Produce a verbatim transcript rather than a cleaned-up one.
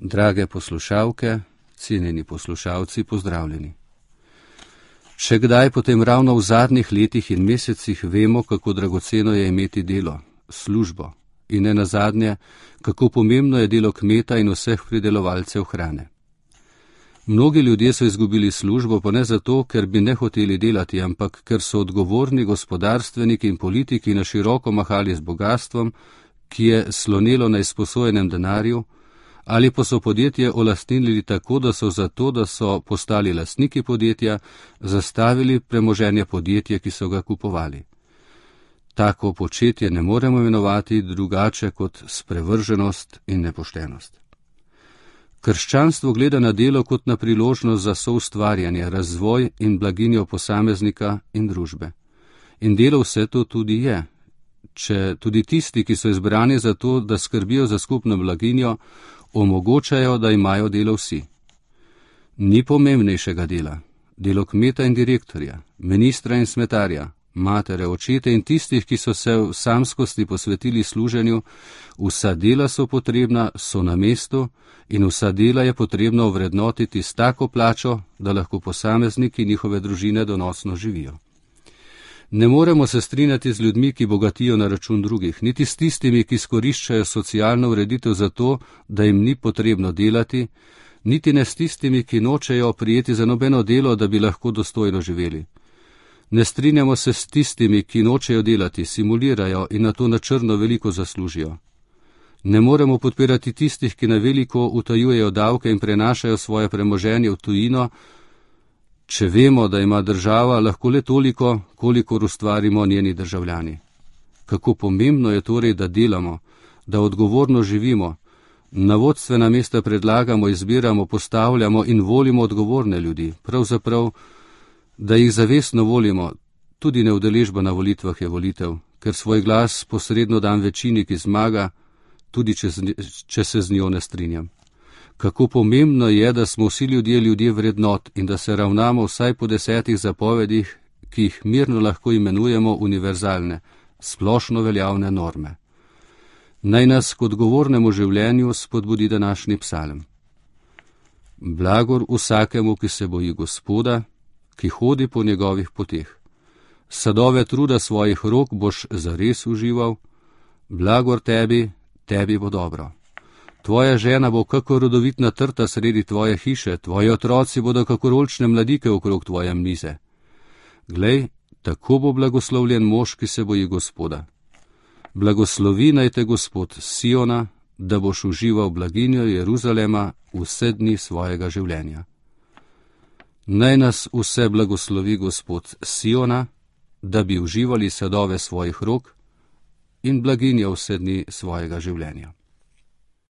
Drage poslušalke, cenjeni poslušalci, pozdravljeni. Še kdaj potem ravno v zadnjih letih in mesecih vemo, kako dragoceno je imeti delo, službo in ne nazadnje, kako pomembno je delo kmeta in vseh pridelovalcev hrane. Mnogi ljudje so izgubili službo, pa ne zato, ker bi ne hoteli delati, ampak ker so odgovorni gospodarstveniki in politiki na široko mahali z bogatstvom, ki je slonelo na izposojenem denarju, ali pa so podjetje olastnili tako, da so zato, da so postali lastniki podjetja, zastavili premoženje podjetja, ki so ga kupovali. Tako početje ne moremo imenovati drugače kot sprevrženost in nepoštenost. Krščanstvo gleda na delo kot na priložnost za soustvarjanje, razvoj in blaginjo posameznika in družbe. In delo vse to tudi je. Če tudi tisti, ki so izbrani za to, da skrbijo za skupno blaginjo, omogočajo, da imajo delo vsi. Ni pomembnejšega dela. Delo kmeta in direktorja, ministra in smetarja, matere, očete in tistih, ki so se v samskosti posvetili služenju, vsa dela so potrebna, so na mestu in vsa dela je potrebno ovrednotiti s tako plačo, da lahko posamezniki in njihove družine donosno živijo. Ne moremo se strinjati z ljudmi, ki bogatijo na račun drugih, niti s tistimi, ki skoriščajo socialno ureditev za to, da jim ni potrebno delati, niti ne s tistimi, ki nočejo prijeti za nobeno delo, da bi lahko dostojno živeli. Ne strinjamo se s tistimi, ki nočejo delati, simulirajo in na to na črno veliko zaslužijo. Ne moremo podpirati tistih, ki na veliko utajujejo davke in prenašajo svoje premoženje v tujino, če vemo, da ima država lahko le toliko, kolikor ustvarimo njeni državljani. Kako pomembno je torej, da delamo, da odgovorno živimo, na vodstvena mesta predlagamo, izbiramo, postavljamo in volimo odgovorne ljudi, pravzaprav, da jih zavestno volimo, tudi neudeležba na volitvah je volitev, ker svoj glas posredno dam večini, ki zmaga, tudi če, če se z njo ne strinjam. Kako pomembno je, da smo vsi ljudje ljudje vrednot in da se ravnamo vsaj po desetih zapovedih, ki jih mirno lahko imenujemo univerzalne, splošno veljavne norme. Naj nas k odgovornemu življenju spodbudi današnji psalm. Blagor vsakemu, ki se boji Gospoda, ki hodi po njegovih poteh. Sadove truda svojih rok boš zares užival, blagor tebi, tebi bo dobro. Tvoja žena bo kakor rodovitna trta sredi tvoje hiše, tvoji otroci bodo kakor oljčne mladike okrog tvoje mize. Glej, tako bo blagoslovljen mož, ki se boji Gospoda. Blagoslovi naj te Gospod Siona, da boš užival blaginjo Jeruzalema vse dni svojega življenja. Naj nas vse blagoslovi Gospod Siona, da bi uživali sadove svojih rok in blaginjo vse dni svojega življenja.